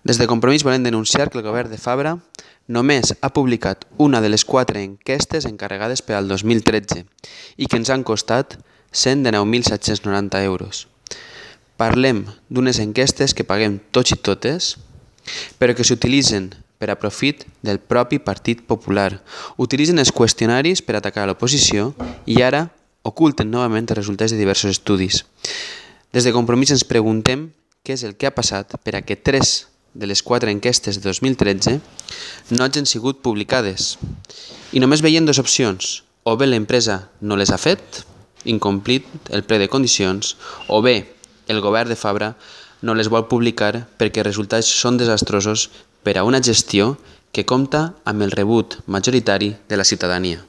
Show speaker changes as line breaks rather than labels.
Des de Compromís volem denunciar que el govern de Fabra només ha publicat una de les 4 enquestes encarregades per al 2013 i que ens han costat 119.790 euros. Parlem d'unes enquestes que paguem tots i totes, però que s'utilitzen per a profit del propi Partit Popular. Utilitzen els qüestionaris per atacar l'oposició i ara oculten novament els resultats de diversos estudis. Des de Compromís ens preguntem què és el que ha passat per a que 3 de les 4 enquestes de 2013 no hagin sigut publicades. I només veiem dues opcions: o bé l'empresa no les ha fet, incomplit el ple de condicions, o bé el govern de Fabra no les vol publicar perquè els resultats són desastrosos per a una gestió que compta amb el rebut majoritari de la ciutadania.